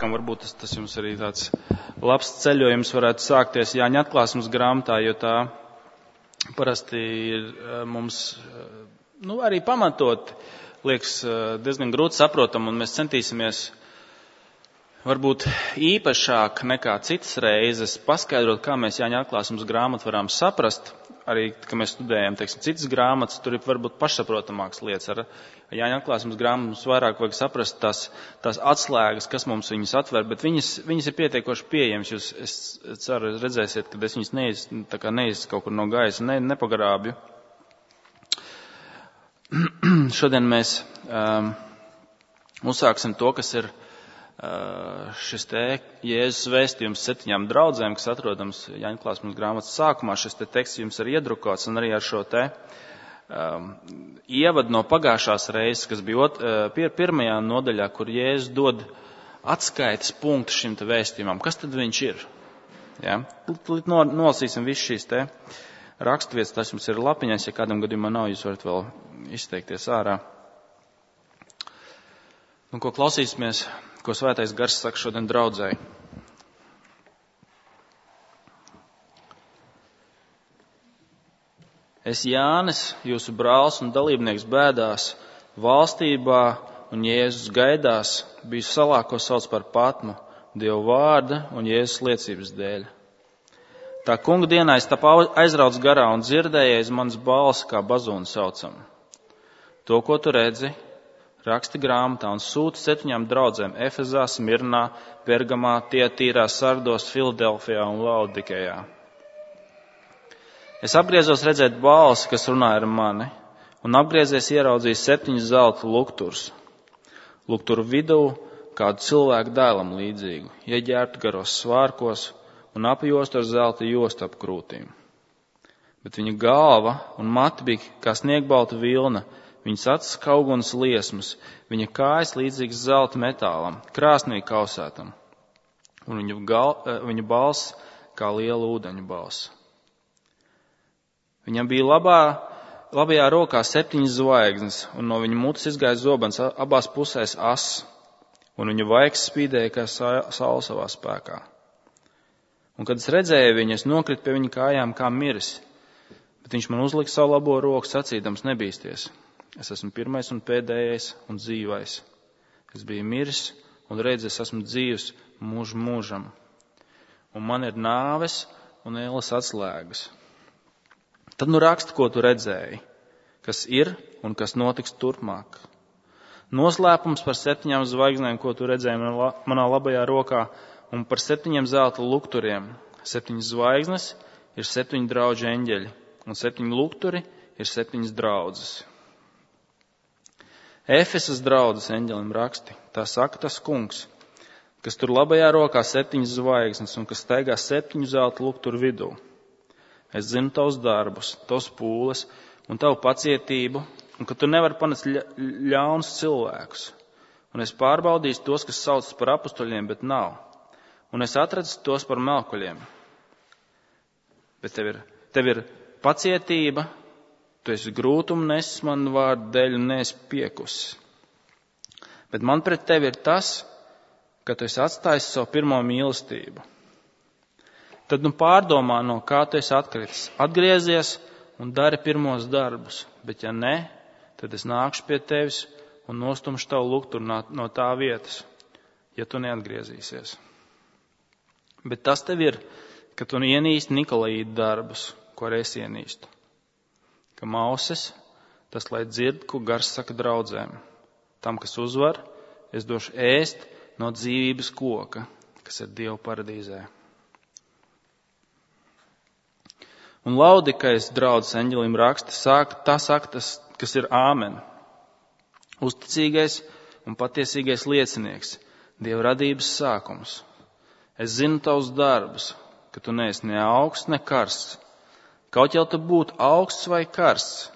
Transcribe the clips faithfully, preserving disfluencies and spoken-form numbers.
sākam, varbūt tas, tas jums arī tāds labs ceļojums varētu sākties Jāņa atklāsmes grāmatā, jo tā parasti ir mums, nu, arī pamatot, liekas diezgan grūti saprotam, un mēs centīsimies varbūt īpašāk nekā citas reizes paskaidrot, kā mēs Jāņa atklāsmes grāmatu varam saprast. Arī, ka mēs studējam, teiksim, citas grāmatas, tur ir varbūt pašsaprotamākas lietas. Ar Jāņa atklāsmes grāmatu mums vairāk vajag saprast tās, tās atslēgas, kas mums viņas atver, bet viņas, viņas ir pietiekoši pieejamas. Jūs, es ceru, redzēsiet, ka es viņas neiz, tā kā neiz kaut kur no gaisa, ne, nepagrābju. Šodien mēs um, uzsāksim to, kas ir šis te Jēzus vēstījums septiņām draudzēm, kas atrodams Jāņa atklāsmes grāmatas sākumā. Šis te teksts jums ir iedrukots, un arī ar šo te um, ievadu no pagājušās reizes, kas bija ot, pir, pirmajā nodaļā, kur Jēzus dod atskaites punktu šim te vēstījumam. Kas tad viņš ir? Ja? Nolasīsim visu šīs te raksturvietas, tas jums ir lapiņās, ja kādam gadījumā nav, jūs varat vēl izteikties ārā. Un ko klausīsimies? Ko Svētais Gars saka šodien draudzēji. Es Jānis, jūsu brālis un dalībnieks bēdās, valstībā un Jēzus gaidās, biju salā, ko sauc par Patmu, Dieva vārda un Jēzus liecības dēļ. Tā kunga dienā es tapu aizrauts garā un dzirdēju aiz manas balsi, kā bazūnu saucam. To, ko tu redzi, raksti grāmatā un sūti septiņām draudzēm Efezā, Smirnā, Pergamā, Tietīrā, Sardos, Filadelfijā un Laodikejā. Es apgriezos redzēt balsi, kas runāja ar mani, un apgriezies ieraudzīju septiņus zelta lukturus. Lukturu vidū kādu cilvēku dēlam līdzīgu, ieģērbtu garos svārkos un apjostu ar zelta jostu ap krūtīm. Bet viņa galva un mati bija kā sniegbalta vilna, viņas acis kā uguns liesmas, viņa kājas līdzīgas zelta metālam, krāsnī kausētam, un viņa, gal, viņa balss kā liela ūdeņu balss. Viņam bija labā, labajā rokā septiņas zvaigznes, un no viņa mutes izgāja zobens abās pusēs ass, un viņa vaigs spīdēja kā saule savā spēkā. Un kad es redzēju viņu, es nokritu pie viņa kājām kā miris, bet viņš man uzlika savu labo roku sacīdams nebīsties. Es esmu pirmais un pēdējais un dzīvais. Es biju miris un redz, es esmu dzīvs mūžu mūžam. Un man ir nāves un ēles atslēgas. Tad nu raksti, ko tu redzēji, kas ir un kas notiks turpmāk. Noslēpums par septiņām zvaigznēm, ko tu redzēji manā labajā rokā, un par septiņiem zelta lukturiem. Septiņas zvaigznes ir septiņu drauģu eņģeļi, un septiņi lukturi ir septiņas draudzes. Efesas draudzes eņģelim raksti, tā saka tas kungs, kas tur labajā rokā septiņas zvaigznes un kas staigā septiņu zelta lukturu vidū. Es zinu tavus darbus, tavus pūles un tavu pacietību, un ka tu nevari panest ļaunus cilvēkus. Un es pārbaudīšu tos, kas saucas par apustuļiem, bet nav. Un es atradu tos par melkuļiem. Bet tev ir, tev ir pacietība, tu esi grūtumu nesis manu vārdu dēļ un neesi piekusi. Bet man pret tevi ir tas, ka tu esi atstājis savu pirmo mīlestību. Tad nu pārdomā, no kā tu esi atkritis. Atgriezies un dari pirmos darbus, bet ja ne, tad es nākšu pie tevis un nostumšu tavu lukturu no, no tā vietas, ja tu neatgriezīsies. Bet tas tev ir, ka tu ienīsti Nikolaīdu darbus, ko arī es ienīstu. Ka mauses, tas lai dzird, ko Gars saka draudzēm. Tam, kas uzvar, es došu ēst no dzīvības koka, kas ir Dieva paradīzē. Un Laodikejas draudzes eņģelim raksta, sāk, tā saka tas, kas ir āmen. Uzticīgais un patiesīgais liecinieks, Dieva radības sākums. Es zinu tavus darbus, ka tu neesi ne augsts, ne karsts. Kaut jau tu būtu augsts vai karsts.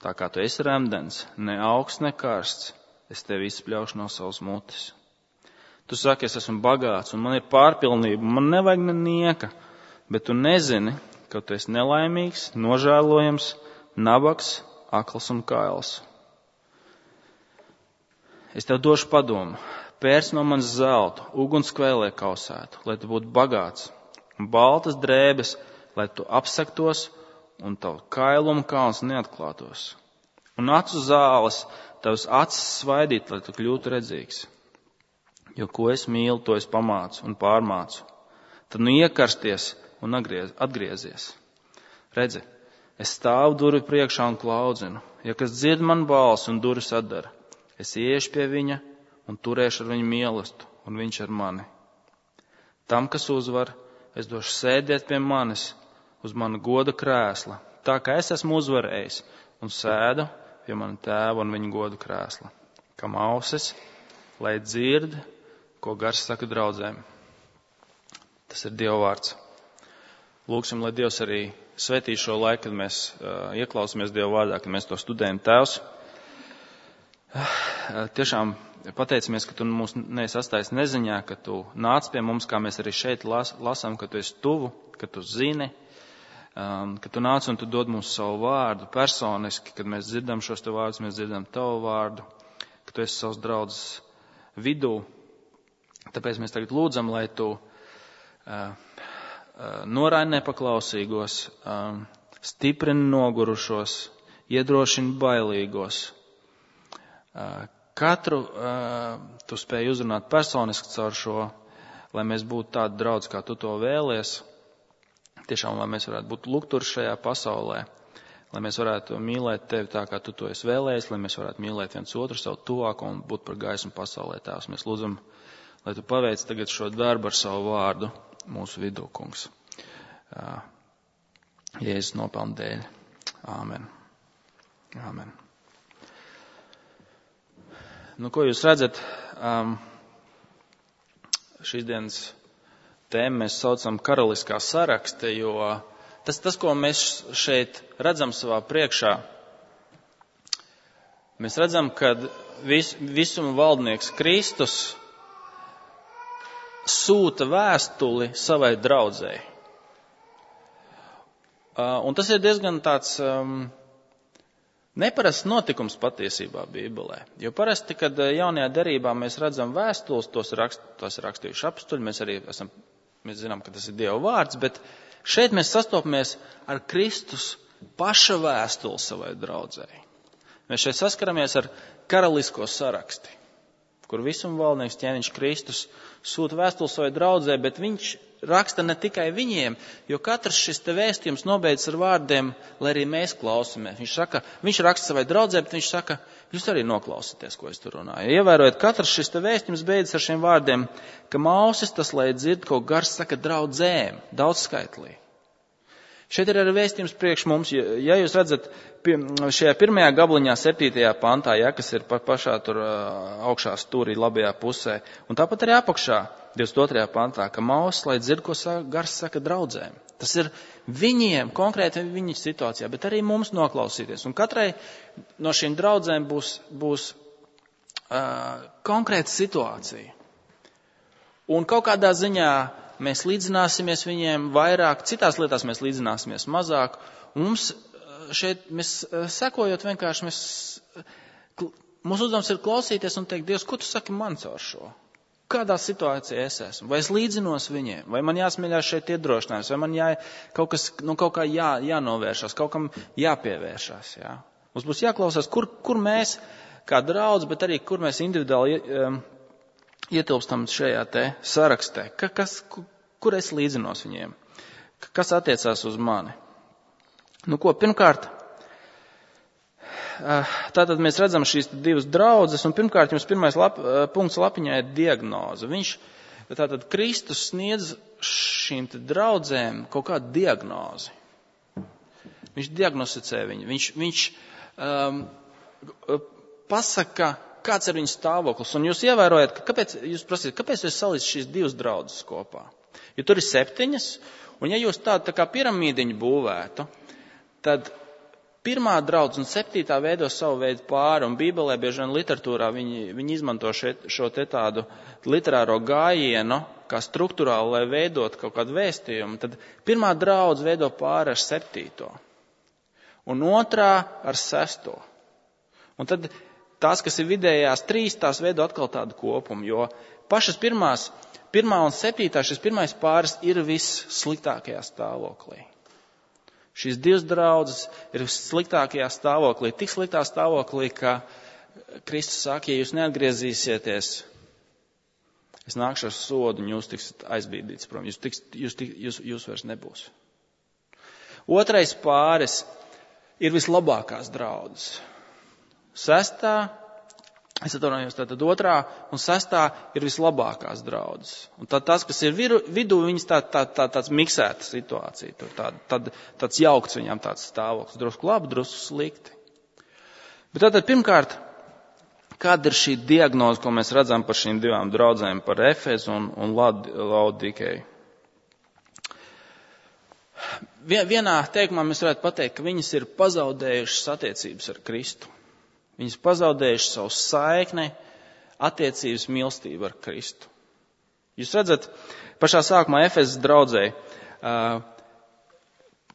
Tā kā tu esi remdens, ne augsts, ne karsts, es tevi izspļaušu no savas mutes. Tu saki, es esmu bagāts un man ir pārpilnība, man nevajag ne nieka, bet tu nezini, ka tu esi nelaimīgs, nožēlojams, nabaks, akls un kails. Es tev došu padomu. pērc no manis zeltu, ugunskvēlē kausētu, lai tu būtu bagāts, un baltas drēbes, lai tu apsektos, un tavu kailumu kalns neatklātos. Un acu zāles, tavas acis svaidīt, lai tu kļūtu redzīgs. Jo ko es mīlu, to es pamācu un pārmācu. Tad nu iekarsties un atgriez, atgriezies. Redzi, es stāvu durvi priekšā un klaudzinu. Ja kas dzird man balsi un durvis atdara, es iešu pie viņa un turēšu ar viņu mīlestību, un viņš ar mani. Tam, kas uzvar, es došu sēdēt pie manis uz mana goda krēsla, tā kā es esmu uzvarējis un sēdu pie mana tēva un viņa goda krēsla. Kam ausis, lai dzird, ko gars saka draudzēm. Tas ir Dieva vārds. Lūksim, lai Dievs arī svētī šo laiku, kad mēs uh, ieklausāmies Dieva vārdā, kad mēs to studējam. Tēvs, uh, tiešām pateicamies, ka Tu mūs neesi atstājis neziņā, ka Tu nāc pie mums, kā mēs arī šeit las, lasām, ka Tu esi tuvu, ka Tu zini, um, ka Tu nāc un Tu dod mums savu vārdu personiski, kad mēs dzirdam šos Tev vārdus, mēs dzirdam Tavu vārdu, ka Tu esi savs draudzes vidū. Tāpēc mēs tagad lūdzam, lai Tu uh, noraini nepaklausīgos, stiprini nogurušos, iedrošini bailīgos. Katru Tu spēj uzrunāt personiski caur šo, lai mēs būtu tādi draudz, kā Tu to vēlies. Tiešām, lai mēs varētu būt lukturi šajā pasaulē, lai mēs varētu mīlēt Tevi tā, kā Tu to esi vēlējis, lai mēs varētu mīlēt viens otru savu tuvāko un būt par gaismu pasaulē. Tēvs, mēs lūdzam, lai Tu paveic tagad šo darbu ar savu vārdu mūsu vidū, kungs. Jēzus nopelna dēļ. Āmen. Āmen. Nu, ko jūs redzat? Um, šīs dienas tēmu mēs saucam karaliskā sarakste, jo tas, tas, ko mēs šeit redzam savā priekšā, mēs redzam, ka vis, visuma valdnieks Kristus sūta vēstuli savai draudzēji. Uh, un tas ir diezgan tāds um, neparasts notikums patiesībā Bībelē. Jo parasti, kad jaunajā derībā mēs redzam vēstules, tos rakst, tos rakstījuši apstuļi, mēs arī esam, mēs zinām, ka tas ir Dieva vārds, bet šeit mēs sastopamies ar Kristus paša vēstuli savai draudzēji. Mēs šeit saskaramies ar karalisko saraksti, kur visuma valdnieks ķēniņš Kristus sūta vēstuli savai draudzē, bet viņš raksta ne tikai viņiem, jo katrs šis te vēstījums nobeidz ar vārdiem, lai arī mēs klausamies. Viņš saka, viņš raksta savai draudzē, bet viņš saka, jūs arī noklausieties, ko es tur runāju. Ievērojot, katrs šis te vēstījums beidzas ar šiem vārdiem, ka ausis tas, lai dzird, ko gars saka draudzēm, daudzskaitlī. Šeit ir arī vēstījums priekš mums, ja jūs redzat šajā pirmajā gabliņā, septītajā pantā, ja, kas ir pa, pašā tur augšā stūrī labajā pusē, un tāpat arī apakšā, divdesmit otrajā pantā, ka ausis, lai dzird, ko gars saka draudzēm. Tas ir viņiem, konkrēti viņu situācijā, bet arī mums noklausīties. Un katrai no šīm draudzēm būs, būs uh, konkrēta situācija. Un kaut kādā ziņā mēs līdzināsimies viņiem vairāk, citās lietās mēs līdzināsimies mazāk. Un mums šeit, mēs sekojot vienkārši, mēs, mūsu uzdevums ir klausīties un teikt, Dievs, ko Tu saki man caur šo? Kādā situācijā es esmu? Vai es līdzinos viņiem? Vai man jāsmēļās šeit iedrošinājums? Vai man jā, kaut, kas, nu, kaut kā jā, jānovēršās, kaut kam jāpievēršās? Jā? Mums būs jāklausās, kur, kur mēs kā draudz, bet arī kur mēs individuāli um, ietilpstam šajā te sarakstē. Ka, kas, kur es līdzinos viņiem? Kas attiecās uz mani? Nu ko, pirmkārt, tātad mēs redzam šīs divas draudzes, un pirmkārt jums pirmais lap, punkts lapiņā ir diagnoze. Viņš, tātad Kristus sniedz šīm te draudzēm kaut kādu diagnozi. Viņš diagnosticē viņu. Viņš, viņš um, pasaka, kāds ir viņu stāvoklis. Un jūs ievērojat, ka kāpēc, jūs prasīt, kāpēc jūs salīdz šīs divas draudzes kopā? Jo tur ir septiņas, un ja jūs tādu tā kā piramīdiņu būvētu, tad pirmā draudz un septītā veido savu veidu pāri, un Bībelē bieži vien literatūrā viņi, viņi izmanto šeit, šo te tādu literāro gājienu, kā struktūrāli, lai veidot kaut kādu vēstījumu. Tad pirmā draudz veido pāri ar septīto, un otrā ar sesto. Un tad tās, kas ir vidējās trīs, tās veido atkal tādu kopumu, jo pašas pirmās, pirmā un septītā, šis pirmais pāris ir vissliktākajā stāvoklī. Šīs divas draudzes ir vissliktākajā stāvoklī, tik sliktā stāvoklī, ka Kristus saka, ja jūs neatgriezīsieties, es nākšu ar sodu un jūs tiksiet aizbīdīts prom, jūs, tiks, jūs, jūs, jūs vairs nebūs. Otrais pāris ir vislabākās draudzes. Sestā, es atvainojos, tātad otrā un sestā ir vislabākās draudzes. Un tad tas, kas ir viru, vidū, viņas tā, tā, tā, tāds miksēta situācija, tur tā, tad, tāds jaukts viņām tāds stāvoklis, drusku labi, drusku slikti. Bet tātad pirmkārt, kāda ir šī diagnoze, ko mēs redzam par šīm divām draudzēm, par Efezu un, un Laodikeju? Vienā teikumā mēs varētu pateikt, ka viņas ir pazaudējušas attiecības ar Kristu. Viņas pazaudējušas savu saikni, attiecības mīlestību ar Kristu. Jūs redzat, pašā sākumā Efezas draudzē, uh,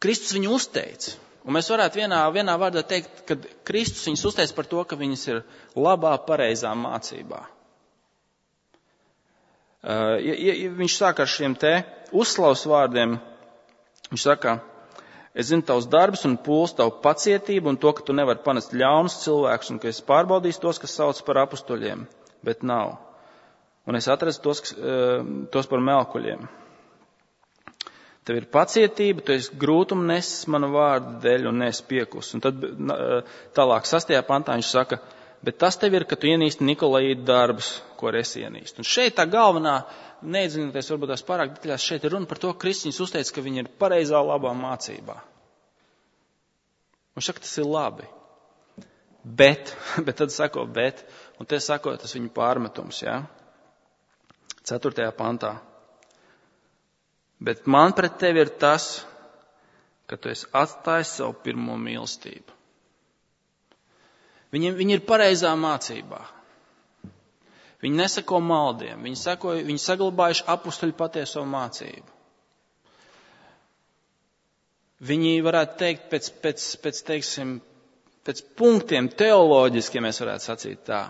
Kristus viņu uzteica. Un mēs varētu vienā, vienā vārdā teikt, ka Kristus viņus uzteica par to, ka viņas ir labā, pareizā mācībā. Uh, ja, ja viņš sāk ar šiem te uzslavas vārdiem, viņš saka, es zinu tavus darbus un pūles, tavu pacietību un to, ka tu nevari panest ļaunus cilvēkus un ka es pārbaudīšu tos, kas sauc par apustuļiem, bet nav. Un es atrastu tos, kas, tos par melkuļiem. Tev ir pacietība, tu esi grūtumu nesis manu vārdu dēļ un neesi piekus. Un tad tālāk sastajā pantā viņš saka, bet tas tev ir, ka tu ienīsti Nikolaītu darbus, ko es ienīstu. Un šeit tā galvenā, neiedziļinoties varbūt tās pārāk detaļās, šeit ir runa par to, ka Kristus uzteica, ka viņi ir pareizā labā mācībā. Un šaka, tas ir labi. Bet, bet tad sako bet, un te sako tas viņu pārmetums, jā. Ceturtajā pantā. Bet man pret tevi ir tas, ka tu esi atstājis savu pirmo mīlestību. Viņi, viņi ir pareizā mācībā. Viņi nesako maldiem, viņi, sako, viņi saglabājuši apustuļu patieso mācību. Viņi varētu teikt pēc, pēc, pēc, teiksim, pēc punktiem teoloģiskiem, mēs varētu sacīt tā.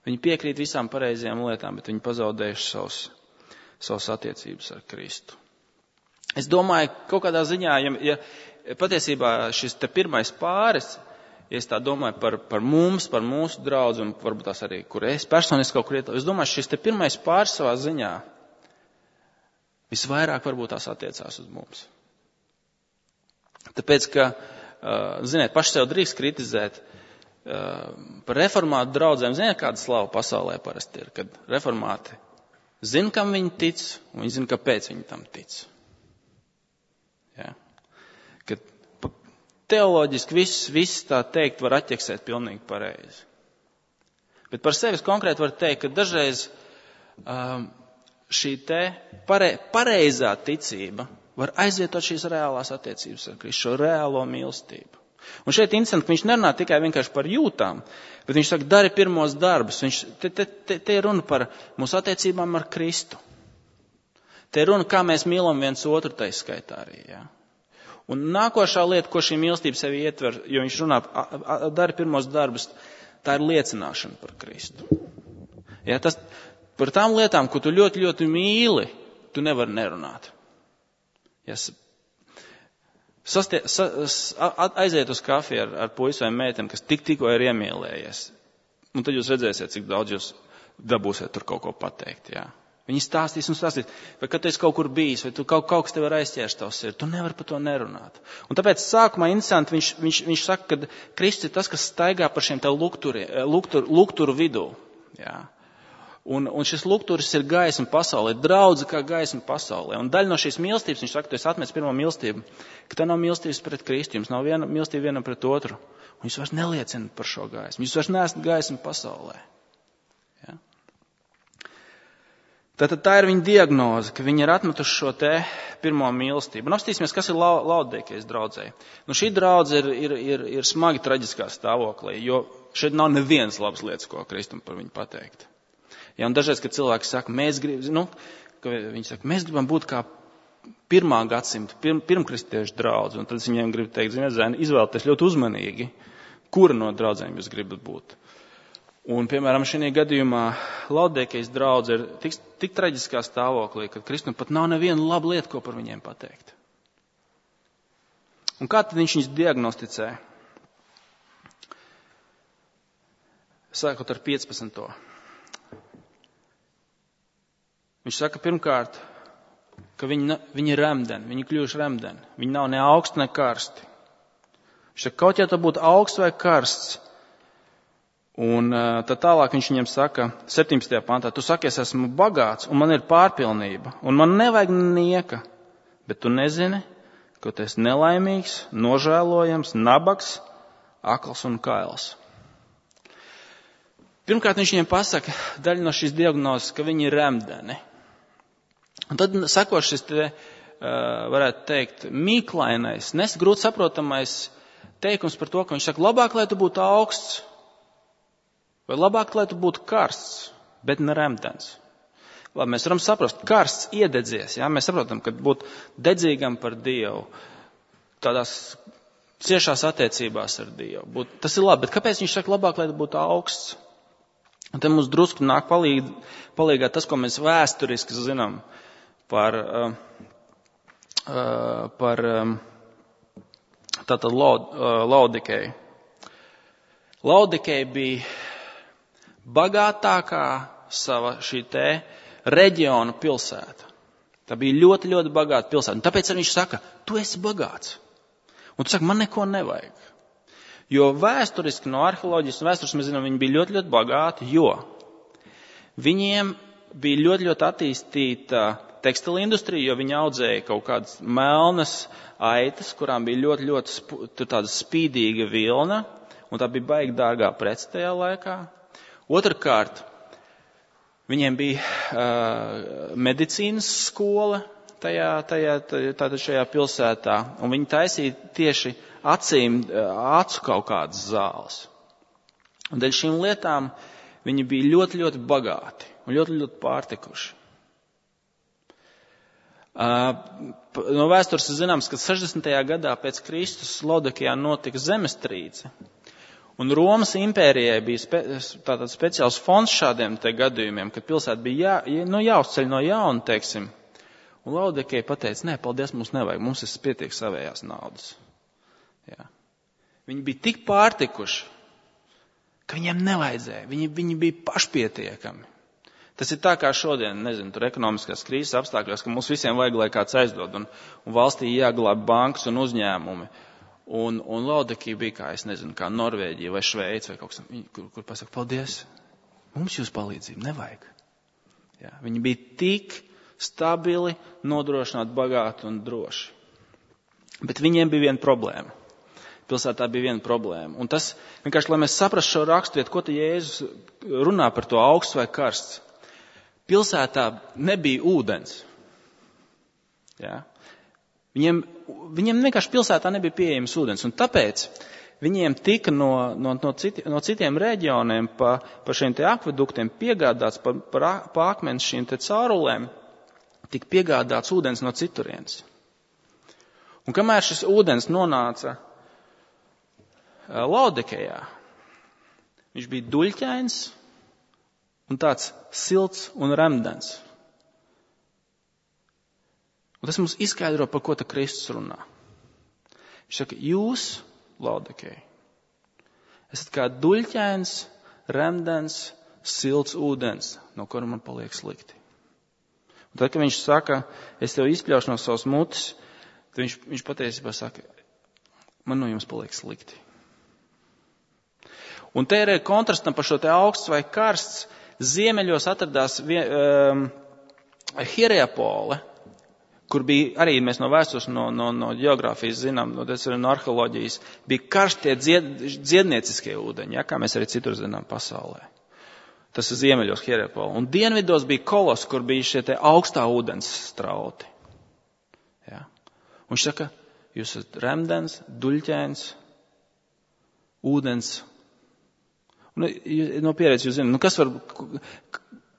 Viņi piekrīt visām pareizajām lietām, bet viņi pazaudējuši savus, savus attiecības ar Kristu. Es domāju, kaut kādā ziņā, ja, ja patiesībā šis te pirmais pāris, ja es tā domāju par, par mums, par mūsu draudzi un varbūt tās arī, kur es personiski kaut kur ietāju, es domāju, šis te pirmais pāris savā ziņā visvairāk varbūt tās attiecās uz mums. Tāpēc, ka, ziniet, paši sev drīkst kritizēt par reformātu draudzēm. Ziniet, kāda slava pasaulē parasti ir, kad reformāti zina, kam viņi tic, un viņi zina, kāpēc viņi tam tic. Ja? Kad teoloģiski viss, viss tā teikt var atķeksēt pilnīgi pareizi. Bet par sevis konkrēti var teikt, ka dažreiz um, šī te pare, pareizā ticība var aizvietot šīs reālās attiecības ar Kristu, šo reālo mīlestību. Un šeit interesanti, ka viņš nerunā tikai vienkārši par jūtām, bet viņš saka, dari pirmos darbus. Viņš, te, te, te, te ir runa par mūsu attiecībām ar Kristu. Te ir runa, kā mēs mīlam viens otru, tai skaitā arī, jā. Un nākošā lieta, ko šī mīlestība sevi ietver, jo viņš runā, dari pirmos darbus, tā ir liecināšana par Kristu. Ja, tas, par tām lietām, ko tu ļoti, ļoti mīli, tu nevari nerunāt. Ja, sastie, sa, aiziet uz kafiju ar, ar puisi vai meiteni, kas tik tikko ir iemīlējies. Un tad jūs redzēsiet, cik daudz jūs dabūsiet tur kaut ko pateikt, jā. Viņi stāstīs un stāstīs, vai kad tu esi kaut kur bijis, vai tu kaut, kaut kas tev ir aizķērst tavs sirdi, tu nevari par to nerunāt. Un tāpēc sākumā interesanti viņš, viņš, viņš saka, ka Kristus ir tas, kas staigā par šiem te lukturi, luktur, lukturu vidū. Jā. Un, un šis lukturis ir gaisma pasaulē, draudze kā gaisma pasaulē. Un daļa no šīs mīlestības, viņš saka, tu esi atmetis pirmo mīlestību, ka tā nav mīlestības pret Kristu, jums nav viena mīlestība vienam pret otru. Un jūs vairs neliecina par šo gaismu, jūs vairs neesat gaisma pasaulē. Jā. Tātad tā ir viņa diagnoze, ka viņi ir atmetuši šo te pirmo mīlestību. Un apstīsimies, kas ir Laodikejas draudzē. Nu, šī draudze ir, ir, ir, ir smagi traģiskā stāvoklī, jo šeit nav nevienas labas lietas, ko Kristum par viņu pateikt. Ja, un dažreiz, kad cilvēki saka, mēs gribam, nu, ka viņi saka, mēs gribam būt kā pirmā gadsimta, pirm, pirmkristiešu draudze, un tad viņiem grib teikt, ziniet, zēni, izvēlieties ļoti uzmanīgi, kura no draudzēm jūs gribat būt. Un, piemēram, šajā gadījumā Laodikejas draudze ir tik, tik traģiskā stāvoklī, ka Kristum pat nav neviena laba lieta, ko par viņiem pateikt. Un kā tad viņš viņus diagnosticē? Sākot ar piecpadsmito Viņš saka pirmkārt, ka viņi, viņi ir remdeni, viņi kļuvuši remdeni. Viņi nav ne augsti, ne karsti. Viņš saka, kaut ja tā būtu augsts vai karsts. Un tad tālāk viņš viņiem saka, septiņpadsmitajā pantā, tu saki, es esmu bagāts, un man ir pārpilnība, un man nevajag nieka. Bet tu nezini, ka tu esi nelaimīgs, nožēlojams, nabaks, akls un kails. Pirmkārt, viņš viņiem pasaka daļu no šīs diagnozes, ka viņi ir remdeni. Un tad sako šis te, varētu teikt, mīklainais, nesgrūti saprotamais teikums par to, ka viņš saka, labāk, lai tu būtu augsts, vai labāk, lai tu būtu karsts, bet ne remdens. Labi, mēs varam saprast, karsts iededzies, jā, mēs saprotam, ka būt dedzīgam par Dievu, tādās ciešās attiecībās ar Dievu. Būt, tas ir labi, bet kāpēc viņš saka, labāk, lai tu būtu augsts? Un te mums drusku nāk palīg, palīgāt tas, ko mēs vēsturiski zinām par, uh, uh, par um, tātad Laud, uh, Laodikeju. Laodikeja bija bagātākā sava šī te reģiona pilsēta. Tā bija ļoti, ļoti bagāta pilsēta. Un tāpēc viņš saka, tu esi bagāts. Un tu saki, man neko nevajag. Jo vēsturiski no arheoloģijas un vēstures mēs zinām, viņi bija ļoti, ļoti bagāti, jo viņiem bija ļoti, ļoti attīstīta tekstila industrija, jo viņi audzēja kaut kādas melnas aitas, kurām bija ļoti, ļoti sp- tāda spīdīga vilna, un tā bija baigi dārgā prece tajā laikā. Otrkārt, viņiem bija uh, medicīnas skola tajā, tajā, tātad šajā pilsētā, un viņi taisīja tieši acīm, acu kaut kādas zāles. Un dēļ šīm lietām viņi bija ļoti, ļoti bagāti un ļoti, ļoti pārtikuši. No vēstures zināms, ka sešdesmitajā gadā pēc Kristus Laodikejā notika zemestrīce. Un Romas impērijai bija spe, tātad speciāls fonds šādiem te gadījumiem, kad pilsēta bija jā, nu, jāuzceļ no jauna, teiksim. Un Laodikeja pateica, nē, paldies, mums nevajag, mums ir pietiek savējās naudas. Jā. Viņi bija tik pārtikuši, ka viņiem nevajadzēja. Viņi, viņi bija pašpietiekami. Tas ir tā kā šodien, nezinu, tur ekonomiskās krīzes apstākļos, ka mums visiem vajag, lai kāds aizdod, un, un valstī jāglāb bankas un uzņēmumi. Un, un Laodikeja bija kā, es nezinu, kā Norvēģija vai Šveica vai kaut kas, kur, kur pasaka, paldies, mums jūs palīdzību nevajag. Jā. Viņi bija tik stabili, nodrošināti, bagāti un droši. Bet viņiem bija viena problēma. Pilsētā bija viena problēma. Un tas, vienkārši, lai mēs saprastu šo raksturiet, ko te Jēzus runā par to augsts vai karsts. Pilsētā nebija ūdens. Jā. Viņiem, viņiem vienkārši pilsētā nebija pieejams ūdens. Un tāpēc viņiem tika no, no, no, citi, no citiem reģioniem pa, pa šiem te akveduktiem piegādāts, pa, pa, pa akmens šīm te caurulēm, tika piegādāts ūdens no citurienes. Un kamēr šis ūdens nonāca Laodikejā, viņš bija duļķains un tāds silts un remdens. Un tas mums izskaidro, par ko te Kristus runā. Viņš saka, jūs, Laodikeja, esat kā duļķains, remdens, silts ūdens, no kura man paliek slikti. Un tad, kad viņš saka, es tev izpļaušu no savas mutes, tad viņš, viņš patiesībā saka, man no jums paliek slikti. Un te ir kontrastam par šo te augsts vai karsts. Ziemeļos atradās um, Hierapole, kur bija arī mēs no vēstures, no, no, no geogrāfijas zinām, no, no arheoloģijas, bija karstie dzied, dziednieciskie ūdeņi, ja, kā mēs arī citur zinām pasaulē. Tas ir ziemeļos Hierapole. Un dienvidos bija Kolos, kur bija šie te augstā ūdens strauti. Ja. Un viņš saka, jūs esat remdens, duļķēns, ūdens. Un, no pieredzes jūs zināt, nu kas var,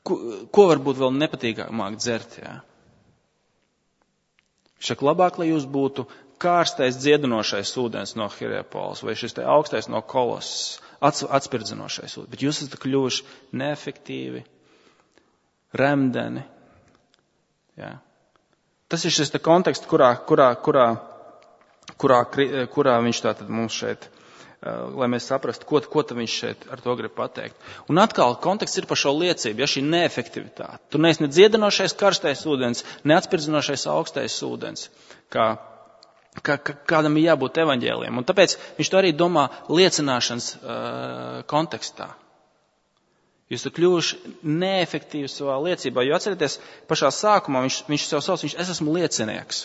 ko, ko var būt vēl nepatīkamāk dzert, jā? Viņš saka, labāk, lai jūs būtu kārstais dziedinošais ūdens no Hierāpolis vai šis te augstais no Kolosas, atspirdzinošais ūdens. Bet jūs esat kļuvuši neefektīvi, remdeni. Jā. Tas ir šis te konteksts, kurā, kurā, kurā, kurā, kurā viņš tātad mums šeit, lai mēs saprastu, ko, ko tad viņš šeit ar to grib pateikt. Un atkal konteksts ir par šo liecību, ja šī neefektivitāte. Tu neesi ne dziedinošais karstais ūdens, ne atspirdzinošais augstais ūdens, kā, kā, kā kādam ir jābūt evaņģēliem. Un tāpēc viņš to arī domā liecināšanas uh, kontekstā. Jūs esat kļuvuši neefektīvi savā liecībā, jo atcerieties, pašā sākumā viņš, viņš sev sauc, viņš, es esmu liecinieks.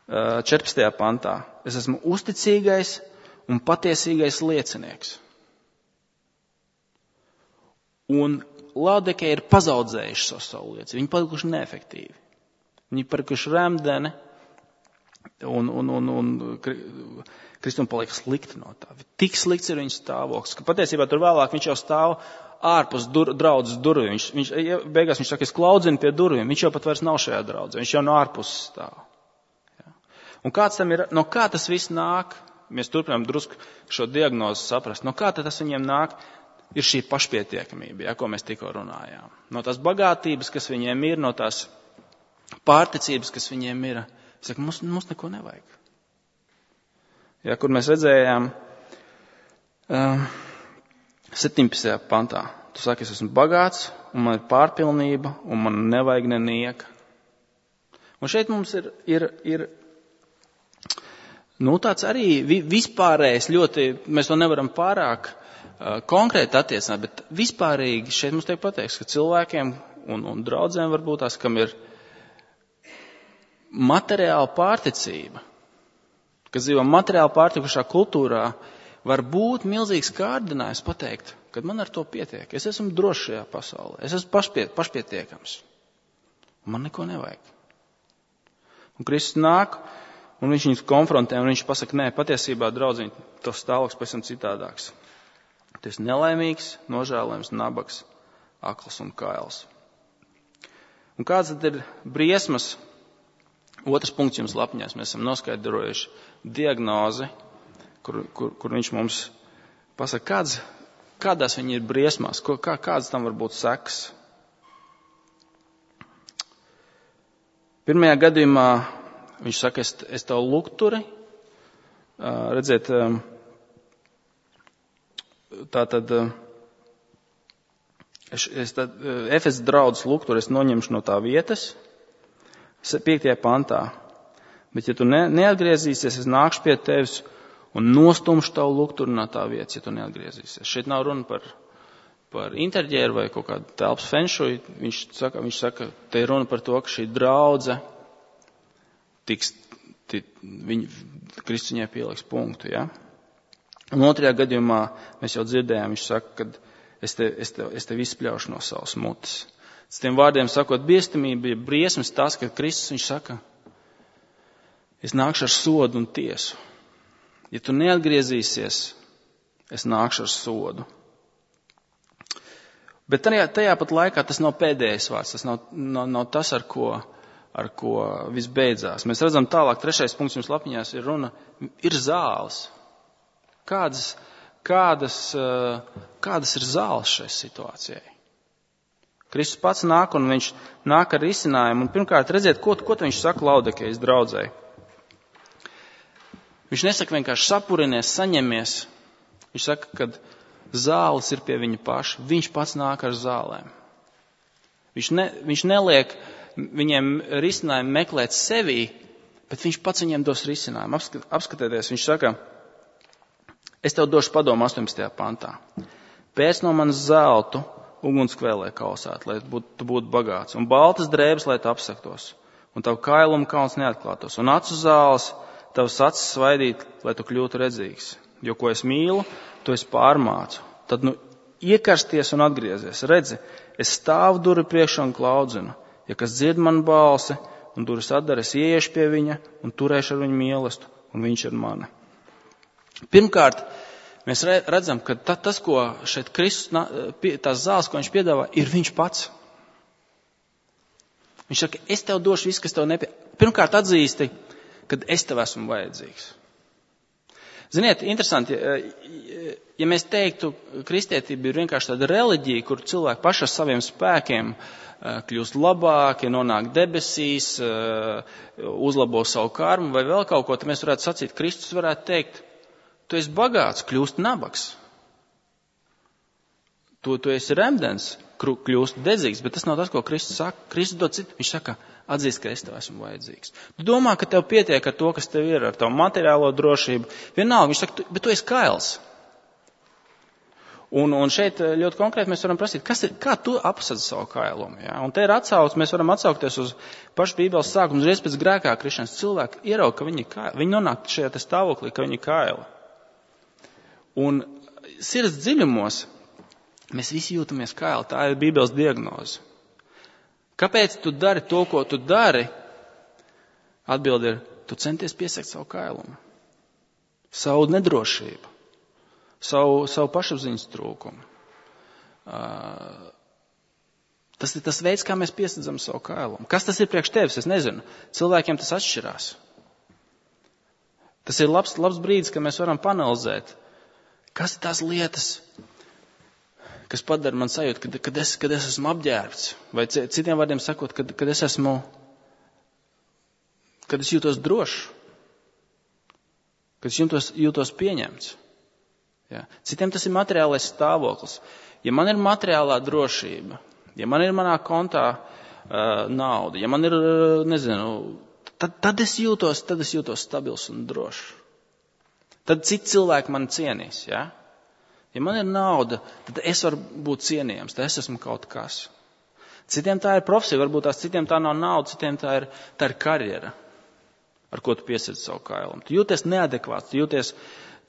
Uh, četrpadsmitajā pantā. Es esmu uzticīgais un patiesīgais liecinieks. Un Laodikeja ir pazaudzējuši savu, savu liecību. Viņi palikuši neefektīvi. Viņi palikuši remdeni un, un, un, un Kristum paliek slikti no tā. Tik slikts ir viņa stāvoklis, ka patiesībā tur vēlāk viņš jau stāv ārpus dur, draudzes durvīm. Viņš, viņš, beigās viņš saka, es klaudzinu pie durvīm. Viņš jau pat vairs nav šajā draudzē. Viņš jau no ārpus stāv. Ja. Un kāds tam ir, no kā tas viss nāk? Mēs turpinām drusku šo diagnozi saprast. No kā tad tas viņiem nāk? Ir šī pašpietiekamība, ja, ko mēs tikko runājām. No tās bagātības, kas viņiem ir, no tās pārticības, kas viņiem ir. Es saku, mums, mums neko nevajag. Ja, kur mēs redzējām um, septiņpadsmitajā pantā. Tu saki, es esmu bagāts, un man ir pārpilnība, un man nevajag nenieka. Un šeit mums ir... ir, ir Nu, tāds arī vispārējais ļoti, mēs to nevaram pārāk uh, konkrēti attiecināt, bet vispārīgi šeit mums tiek pateikts, ka cilvēkiem un, un draudzēm varbūt tās, kam ir materiāla pārticība, kas dzīvo materiāli pārtikušā kultūrā, var būt milzīgs kārdinājums pateikt, ka man ar to pietiek. Es esmu drošs šajā pasaulē, es esmu pašpiet, pašpietiekams. Man neko nevajag. Un Kristus nāk, un viņš viņus konfrontē, un viņš pasaka, nē, patiesībā, draudziņ, tos stāvoklis pēc tam citādāks. Tu esi nelaimīgs, nožēlojams, nabaks, akls un kails. Un kāds tad ir briesmas? Otrs punkts jums lapņās. Mēs esam noskaidrojuši diagnozi, kur, kur, kur viņš mums pasaka, kāds, kādās viņi ir briesmās, ko, kā, kādas tam var būt sekas. Pirmajā gadījumā viņš saka, es, es tev lukturi, redziet, tā tad, es, es tad, Efes draudzes lukturi es noņemšu no tā vietas, piektajā pantā, bet ja tu ne, neatgriezīsies, es nākšu pie tevis un nostumšu tavu lukturi no tā vietas, ja tu neatgriezīsies. Šeit nav runa par, par interģēru vai kaut kādu telpas fenšuju, viņš saka, viņš saka, te ir runa par to, ka šī draudze tiks, tit, viņi, Kristus viņai pieliks punktu, ja? Un otrajā gadījumā mēs jau dzirdējām, viņš saka, ka es te, es te, es te izspļaušu no savas mutes. S tiem vārdiem sakot, biestamība, ja briesmas tas, ka Kristus, viņš saka, es nākšu ar sodu un tiesu. Ja tu neatgriezīsies, es nākšu ar sodu. Bet tajā, tajā pat laikā tas nav pēdējais vārds, tas nav, nav, nav tas, ar ko ar ko viss beidzās. Mēs redzam tālāk, trešais punkts jums lapiņās ir runa, ir zāles. Kādas, kādas, kādas ir zāles šai situācijai? Kristus pats nāk un viņš nāk ar risinājumu. Un pirmkārt, redziet, ko, ko viņš saka Laodikejas draudzei. Viņš nesaka vienkārši sapurinies, saņemies. Viņš saka, ka zāles ir pie viņa paša. Viņš pats nāk ar zālēm. Viņš, ne, viņš neliek viņiem risinājumu meklēt sevī, bet viņš pats viņiem dos risinājumu. Apskat, apskatieties, viņš saka, es tev došu padomu astoņpadsmitajā pantā. Pēc no manas zeltu ugunskvēlē kausēt, lai būt, tu būtu bagāts, un baltas drēbes, lai tu apsaktos, un tavu kailumu kauns neatklātos, un acu zāles tavas acis svaidīt, lai tu kļūtu redzīgs. Jo, ko es mīlu, to es pārmācu. Tad, nu, iekarsties un atgriezies. Redzi, es stāvu durvi priekšā un klaudzinu. Ja kas dzird man balsi un durvis atdara, es ieiešu pie viņa un turēšu ar viņu mīlestību, un viņš ir mani. Pirmkārt, mēs redzam, ka tas, ko šeit Kristus, tās zāles, ko viņš piedāvā, ir viņš pats. Viņš saka, es tev došu visu, kas tev nepie... Pirmkārt atzīsti, kad es tev esmu vajadzīgs. Ziniet, interesanti, ja mēs teiktu, kristietība ir vienkārši tāda reliģija, kur cilvēki paši ar saviem spēkiem kļūst labāki, nonāk debesīs, uzlabo savu karmu vai vēl kaut ko, tad mēs varētu sacīt, Kristus varētu teikt, tu esi bagāts, kļūst nabaks. Tu, tu esi remdens, kļūst dedzīgs, bet tas nav tas, ko Kristus saka. Kristus dod citu. Viņš saka, atzīst, ka es tev esmu vajadzīgs. Tu domā, ka tev pietiek ar to, kas tev ir, ar tavu materiālo drošību. Vienalga, viņš saka, bet tu esi kails. Un, un šeit ļoti konkrēti mēs varam prasīt, kas ir, kā tu apsadzi savu kailumu. Ja? Un te ir atsauc, mēs varam atsaukties uz pašu Bībeles sākumu, uzreiz pēc grēkā krišanas cilvēki ieraug, ka viņi ir kaili. Viņi nonāk šajā stāvoklī, ka viņi ir kaili. Un sirds dziļumos mēs visi jūtamies kaili. Tā ir Bībeles diagnoze. Kāpēc tu dari to, ko tu dari? Atbilde ir, tu centies piesakt savu kailumu, savu nedrošību, savu, savu pašapziņas trūkumu. Uh, tas ir tas veids, kā mēs piesadzam savu kailumu. Kas tas ir priekš tevis? Es nezinu. Cilvēkiem tas atšķirās. Tas ir labs, labs brīdis, ka mēs varam panalizēt, kas ir tās lietas, kas padara man sajūtu, kad, kad, es, kad es esmu apģērbts. Vai citiem vārdiem sakot, kad, kad es esmu, kad es jūtos drošs, kad es jūtos, jūtos pieņemts. Ja. Citiem tas ir materiālais stāvoklis. Ja man ir materiālā drošība, ja man ir manā kontā uh, nauda, ja man ir, uh, nezinu, tad, tad es jūtos, tad es jūtos stabils un drošs. Tad citi cilvēki man cienīs, ja? Ja man ir nauda, tad es varu būt cienījams, tad es esmu kaut kas. Citiem tā ir profesija, varbūt tās citiem tā nav nauda, citiem tā ir, tā ir karjera, ar ko tu piesedzi savu kailumu. Tu jūties neadekvāts, tu jūties,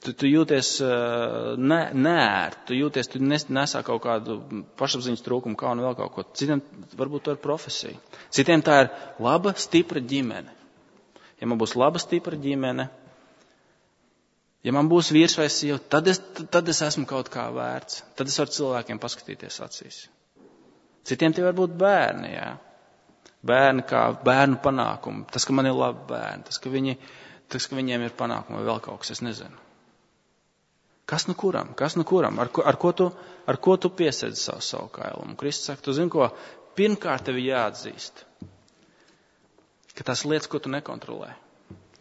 tu, tu jūties uh, ne, neērt, tu jūties, tu nes, nesā kaut kādu pašapziņas trūkumu, kā un vēl kaut ko. Citiem varbūt tā ir profesija. Citiem tā ir laba, stipra ģimene. Ja man būs laba, stipra ģimene, ja man būs vīrs vai sieva, tad es, tad es esmu kaut kā vērts. Tad es varu cilvēkiem paskatīties acīs. Citiem tie var būt bērni, jā. Bērni kā bērnu panākumi. Tas, ka man ir labi bērni, tas, ka, viņi, tas, ka viņiem ir panākumi vai vēl kaut kas, es nezinu. Kas nu kuram? Kas nu kuram? Ar ko, ar ko tu, ar ko tu piesedzi savu, savu kailumu? Kristus saka, tu zini ko? Pirmkārt tev jāatzīst, ka tās lietas, ko tu nekontrolē,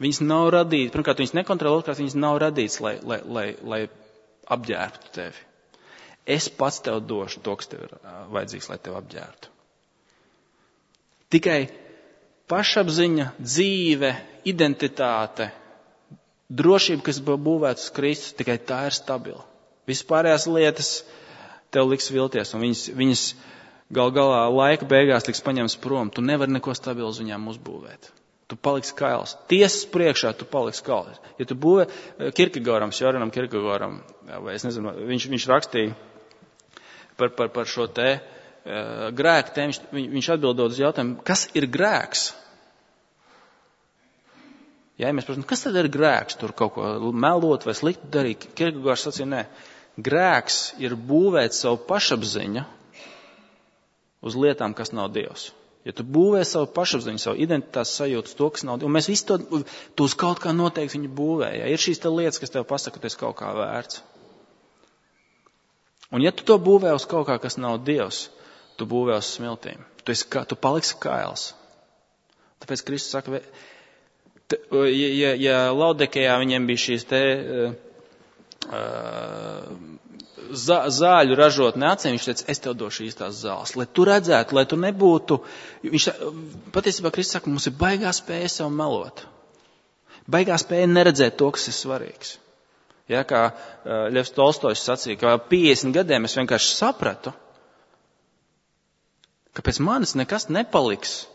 viņas nav radītas, pirmkārt, viņas nekontrolē, otrkārt, viņas nav radītas, lai, lai, lai, lai apģērbtu tevi. Es pats tev došu to, kas tev ir vajadzīgs, lai tev apģērbtu. Tikai pašapziņa, dzīve, identitāte, drošība, kas būvēta uz Kristus, tikai tā ir stabila. Vispārējās lietas tev liks vilties, un viņas, viņas gal galā laika beigās liks paņems prom. Tu nevari neko stabilu uz viņām uzbūvēt. Tu paliksi kails. Tiesas priekšā tu paliksi kails. Ja tu būvē Kierkegaardam, Sørenam Kierkegaardam, vai es nezinu, viņš, viņš rakstīja par, par, par šo te uh, grēku tēmu, viņš, viņš atbildot uz jautājumu, kas ir grēks? Ja, ja mēs prasām, kas tad ir grēks? Tur kaut ko melot vai slikti darīt. Kierkegaards sacīja, nē, grēks ir būvēt savu pašapziņu uz lietām, kas nav Dievs. Ja tu būvē savu pašapziņu, savu identitātes sajūtu, to, kas nav, un mēs visi to, tu uz kaut kā noteikti viņu būvē. Ja? Ir šīs te lietas, kas tev pasaka, ka tu esi kaut kā vērts. Un ja tu to būvē uz kaut kā, kas nav Dievs, tu būvē uz smiltīm. Tu, esi, tu paliksi kails. Tāpēc Kristus saka, te, ja, ja, ja Laudikejā viņiem bija šīs te uh, zā, zāļu ražotne acīm, viņš teica, es tev došu īstās zāles, lai tu redzētu, lai tu nebūtu, viņš patiesībā Kristus saka, mums ir baigā spēja sev melot. Baigā spēja neredzēt to, kas ir svarīgs. Ja, kā uh, Ļevs Tolstojs sacīja, ka piecdesmit gadiem es vienkārši sapratu, ka pēc manis nekas nepaliks,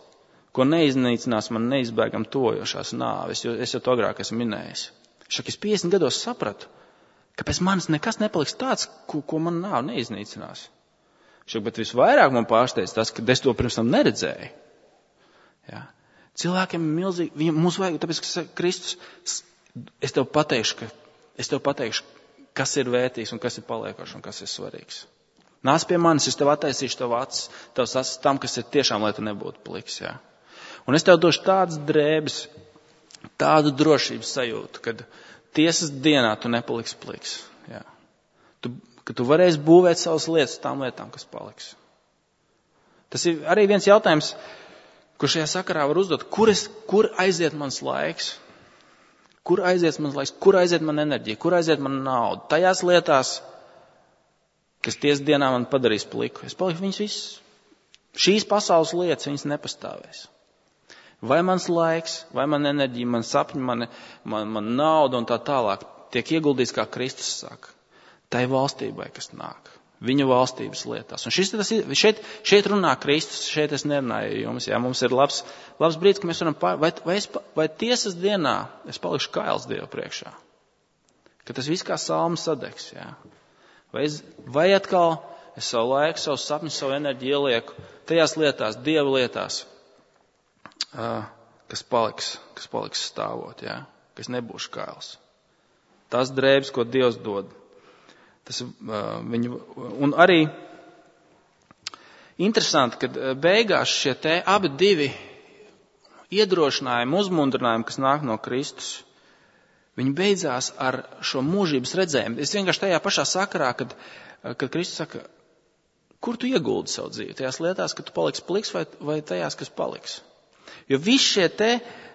ko neiznīcinās man neizbēgam tojošās nāves, jo es jau to agrāk esmu minējis. Šak es piecdesmit gados sapratu, ka pēc manis nekas nepaliks tāds, ko, ko man nav neiznīcinās. Šak, bet visvairāk man pārsteidz tas, ka es to pirms tam neredzēju. Ja. Cilvēkiem ir milzīgi, viņam mums vajag, tāpēc, ka Kristus, es tev pateikšu, ka Es tev pateikšu, kas ir vērtīgs un kas ir paliekošs un kas ir svarīgs. Nāc pie manis, es tev attaisīšu tev acis, tavs acis tam, kas ir tiešām, lai tu nebūtu pliks. Jā. Un es tev došu tādas drēbes, tādu drošības sajūtu, kad tiesas dienā tu nepaliksi pliks. Jā. Tu, ka tu varēsi būvēt savas lietas tām lietām, kas paliks. Tas ir arī viens jautājums, kur šajā sakarā var uzdot, kur, es, kur aiziet mans laiks? Kur aiziet mans laiks? Kur aiziet man enerģija? Kur aiziet man nauda? Tajās lietās, kas tiesas dienā man padarīs pliku. Es paliku viņas visas. Šīs pasaules lietas, viņas nepastāvēs. Vai mans laiks, vai man enerģija, man sapņi, man, man, man nauda un tā tālāk tiek ieguldīts, kā Kristus saka, tai valstībai, kas nāk. Viņa valstības lietās. Un šis, tas, šeit, šeit runā Kristus, šeit es nerunāju jums. Jā, mums ir labs, labs brīdis, ka mēs varam pār... Vai, vai, es, vai tiesas dienā es palikšu kails Dievu priekšā? Ka tas viss kā salma sadegs, jā. Vai, es, vai atkal es savu laiku, savu sapņu, savu enerģiju ielieku tajās lietās, Dieva lietās, uh, kas paliks, kas paliks stāvot, jā. Ka es nebūšu kails. Tās drēbes, ko Dievs dod. Tas, uh, viņu, un arī interesanti, ka beigās šie te abi divi iedrošinājumi, uzmundrinājumi, kas nāk no Kristus, viņi beidzās ar šo mūžības redzējumu. Es vienkārši tajā pašā sakarā, kad, kad Kristus saka, kur tu ieguldi savu dzīvi? Tajās lietās, ka tu paliksi pliks vai, vai tajās, kas paliks? Jo visi šie te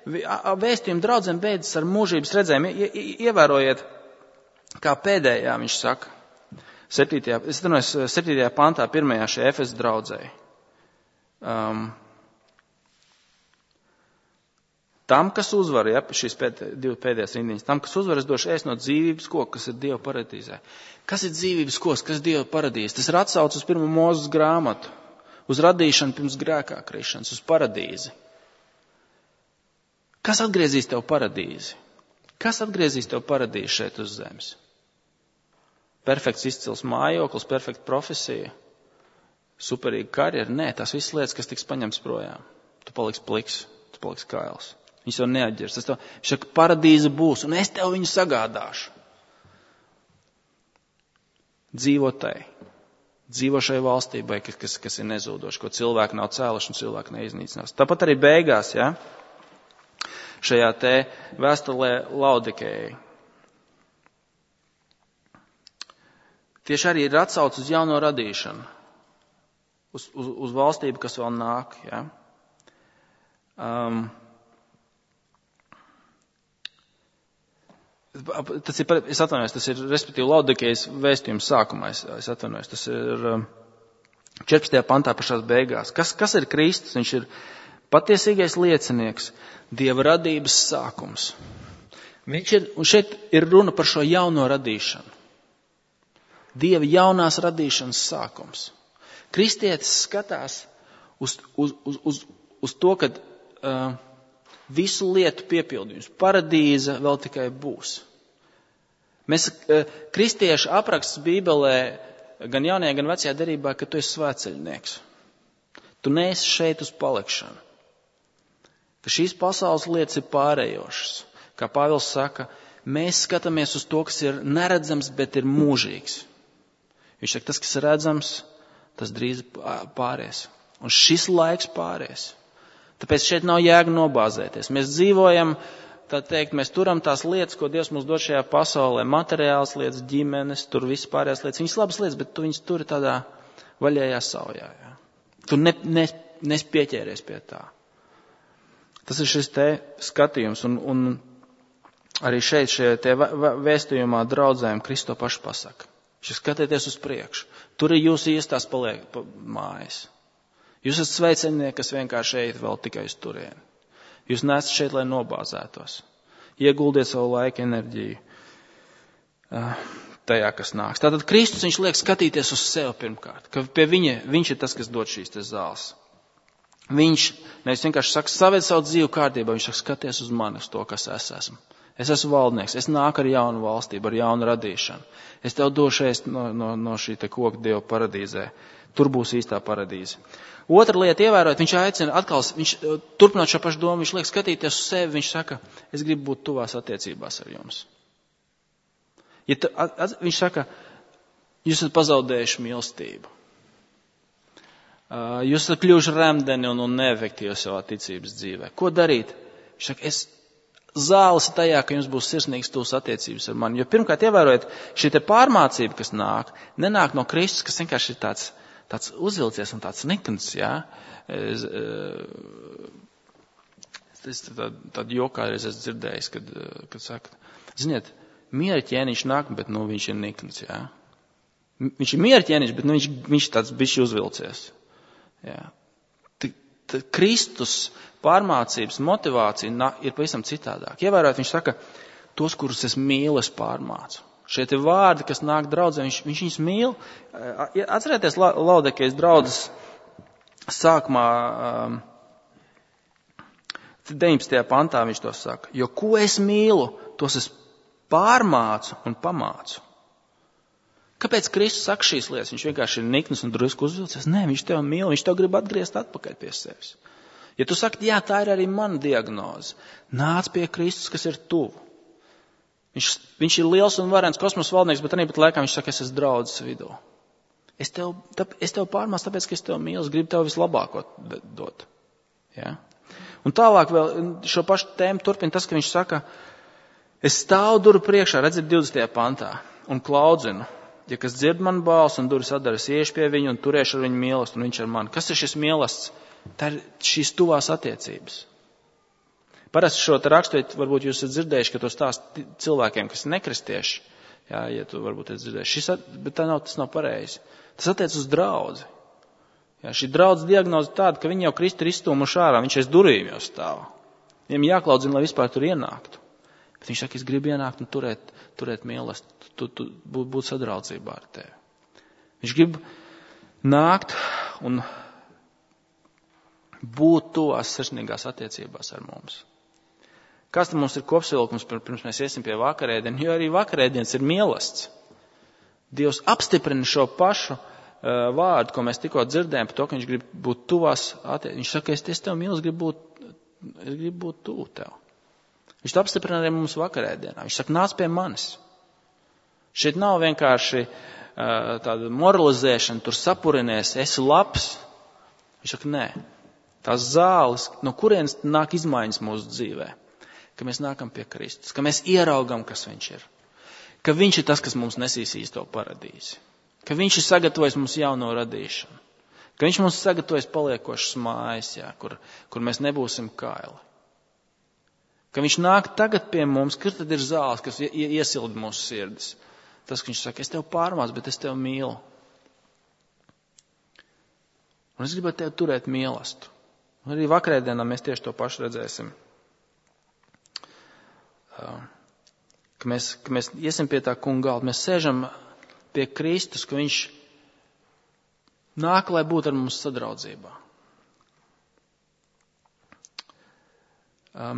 vēstījumi draudzēm beidzas ar mūžības redzējumu. Ievērojiet, kā pēdējā viņš saka, septītajā, es atvainojos, septītajā pantā, pirmajā šajā Efesu draudzē. Um, tam, kas uzvar, ja, šīs pēd, divi pēdējās rindiņas, tam, kas uzvar, es došu ēst no dzīvības koka, kas ir Dieva paradīzē. Kas ir dzīvības koks, kas ir Dieva paradīze? Tas ir atsauc uz pirmo Mūzes grāmatu, uz radīšanu pirms grēkā krišanas, uz paradīzi. Kas atgriezīs tev paradīzi? Kas atgriezīs tev paradīzi šeit uz zemes? Perfekts izcils mājoklis, perfekta profesija, superīga karjera. Nē, tās visas lietas, kas tiks paņemts projām. Tu paliksi pliks, tu paliksi kails. Viņš tev neatģers. Tas tev, viņš saka, paradīze būs, un es tev viņu sagādāšu. Dzīvo tai. Dzīvo šai valstībai, kas, kas ir nezūdoši, ko cilvēki nav cēluši un cilvēki neiznīcinās. Tāpat arī beigās, ja, šajā te vēstulē Laudikejai. Tieši arī ir atsauc uz jauno radīšanu, uz, uz, uz valstību, kas vēl nāk. Ja? Um, tas ir, es atvainojos, tas ir, respektīvi, Laudikejas vēstījums sākumā, es, es atvainojos, tas ir um, četrpadsmitajā pantā pašās beigās. Kas, kas ir Kristus? Viņš ir patiesīgais liecinieks, Dieva radības sākums. Viņš ir, un šeit ir runa par šo jauno radīšanu. Dieva jaunās radīšanas sākums. Kristietis skatās uz, uz, uz, uz, uz to, ka uh, visu lietu piepildījums, paradīze vēl tikai būs. Mēs, uh, kristieši apraksts Bībelē, gan jaunajā, gan vecajā derībā, ka tu esi svētceļnieks. Tu neesi šeit uz palikšanu. Ka šīs pasaules lietas ir pārējošas. Kā Pāvils saka, mēs skatāmies uz to, kas ir neredzams, bet ir mūžīgs. Viņš saka, tas, kas ir redzams, tas drīz pāries. Un šis laiks pāries. Tāpēc šeit nav jēga nobāzēties. Mēs dzīvojam, tā teikt, mēs turam tās lietas, ko Dievs mums dod šajā pasaulē. Materiāls lietas, ģimenes, tur viss pārējās lietas. Viņas labas lietas, bet tu viņas turi tādā vaļējā saujā. Jā. Tu ne, ne, nespieķēries pie tā. Tas ir šis te skatījums. Un, un arī šeit, šajā te vēstījumā draudzēm Kristo pašu pasaka. Šis skatieties uz priekšu. Tur ir jūsu iestās paliek pa mājas. Jūs esat sveicinieki, kas vienkārši ejat vēl tikai uz turieni. Jūs neesat šeit, lai nobāzētos. Ieguldiet savu laiku, enerģiju uh, tajā, kas nāks. Tātad Kristus, viņš liek skatīties uz sevi pirmkārt. Ka pie viņa, viņš ir tas, kas dod šīs te zāles. Viņš nevis vienkārši saka, saved savu dzīvu kārtībā. Viņš saka, skaties uz mani, uz to, kas es esmu. Es esmu valdnieks, es nāku ar jaunu valstību, ar jaunu radīšanu. Es tev došu ēst no, no, no šī te koka Dieva paradīzē. Tur būs īstā paradīze. Otra lieta, ievērot, viņš aicina atkal, viņš turpināt šo pašu domu, viņš liek skatīties uz sevi, viņš saka, es gribu būt tuvās attiecībās ar jums. Ja tu, at, at, viņš saka, jūs esat pazaudējuši mīlestību. Uh, jūs esat kļuvuši remdeni un, un neefektīvi savā ticības dzīvē. Ko darīt? Viņš saka, es zāles ir tajā, ka jums būs sirsnīgas tuvas attiecības ar mani. Jo pirmkārt, ievērojiet, šī te pārmācība, kas nāk, nenāk no Kristus, kas vienkārši ir tāds, tāds uzvilcies un tāds nikns, jā. Es, es tādu jokā reiz esmu dzirdējis, kad, kad saka, ziniet, miera ķēniņš nāk, bet, nu, viņš ir nikns, jā. Viņš ir miera ķēniņš, bet, nu, viņš, viņš tāds bišķi uzvilcies, jā. Tad Kristus pārmācības motivācija ir pavisam citādāk. Ievērojot, viņš saka, tos, kurus es mīlu, es pārmācu. Šie te vārdi, kas nāk draudzē, viņš, viņš viņus mīl. Atcerieties Laodikejas draudzes sākumā, deviņpadsmitajā pantā viņš to saka. Jo ko es mīlu, tos es pārmācu un pamācu. Kāpēc Kristus saka šīs lietas? Viņš vienkārši ir nikns un drusku uzvilcies. Nē, viņš tev mīl, viņš tev grib atgriezt atpakaļ pie sevis. Ja tu saki, jā, tā ir arī mana diagnoze, nāc pie Kristus, kas ir tuvu. Viņš, viņš ir liels un varens kosmosa valdnieks, bet arī pat laikā viņš saka, es esmu draudzes vidū. Es tev, tā, es tev pārmācu, tāpēc, ka es tev mīlu, es gribu tev vislabāko dot. Ja? Un tālāk vēl šo pašu tēmu turpina tas, ka viņš saka, es stāvu duru priekšā, redziet divdesmitajā pantā, un klaudzinu. Ja kas dzird man balsi un durvis atdara, es iešu pie viņu un turēšu ar viņu mīlestību, un viņš ar mani. Kas ir šis mīlestības? Tā ir šīs tuvās attiecības. Parasti šo te raksturiet, varbūt jūs esat dzirdējuši, ka to stāst cilvēkiem, kas ir nekristieši. Jā, ja tu varbūt esat dzirdējuši. Šis, bet tā nav, tas nav pareizi. Tas attiec uz draudzi. Jā, šī draudzes diagnoze tāda, ka viņi jau Kristu ir izstūmuši ārā, viņš aiz durvīm jau stāv. Viņam jāklaudzina, lai vispār tur ienāktu. Bet viņš saka, es gribu ienākt un turēt, turēt mīlestību, tu, tu, būt, būt sadraudzībā ar tevi. Viņš grib nākt un būt tuvās sirsnīgās attiecībās ar mums. Kas tad mums ir kopsavilkums, pirms mēs iesim pie vakarēdienas, jo arī vakarēdienas ir mīlestība. Dievs apstiprina šo pašu uh, vārdu, ko mēs tikko dzirdējām, par to, ka viņš grib būt tuvās attiecībās. Viņš saka, es, es tev mīlu, es gribu būt, es gribu būt tuvu tev. Viņš to apstiprina arī mums vakarēdienā. Viņš saka, nāc pie manis. Šeit nav vienkārši uh, tāda moralizēšana, tur sapurinies, esi labs. Viņš saka, nē. Tās zāles, no kurienes nāk izmaiņas mūsu dzīvē. Ka mēs nākam pie Kristus, ka mēs ieraugam, kas viņš ir. Ka viņš ir tas, kas mums nesīs īsto paradīzi. Ka viņš ir sagatavojis mums jauno radīšanu. Ka viņš mums sagatavojis paliekošas mājas, jā, kur, kur mēs nebūsim kaili. Ka viņš nāk tagad pie mums, kur tad ir zāles, kas iesilda mūsu sirdis. Tas, ka viņš saka, es tev pārmācu, bet es tev mīlu. Un es gribētu tev turēt mīlestību. Un arī vakarēdienā mēs tieši to pašu redzēsim. Ka mēs, ka mēs iesim pie tā kunga galda, mēs sēžam pie Kristus, ka viņš nāk, lai būtu ar mums sadraudzībā.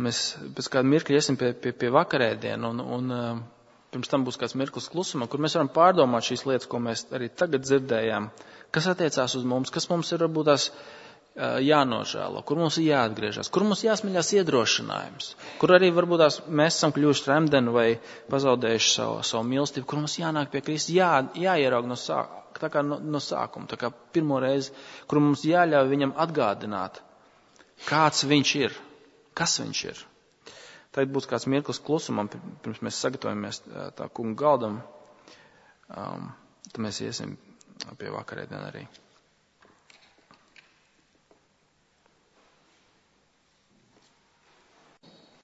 Mēs pēc kāda mirkļa iesim pie, pie, pie vakarēdienu un, un pirms tam būs kāds mirklis klusuma, kur mēs varam pārdomāt šīs lietas, ko mēs arī tagad dzirdējām, kas attiecās uz mums, kas mums ir varbūt tās jānožēlo, kur mums ir jāatgriežas, kur mums jāsmeļās iedrošinājums, kur arī varbūt tās mēs esam kļuvuši tremdeni vai pazaudējuši savu, savu mīlestību, kur mums jānāk pie Kristus, jā, jāieraug no, sāk, tā kā no, no sākuma, tā kā pirmo reizi, kur mums jāļauj viņam atgādināt, kāds viņš ir. Kas viņš ir? Tagad būs kāds mirklis klusumam, pirms mēs sagatavojamies tā kunga galdam, um, tad mēs iesim pie vakarēdienu arī.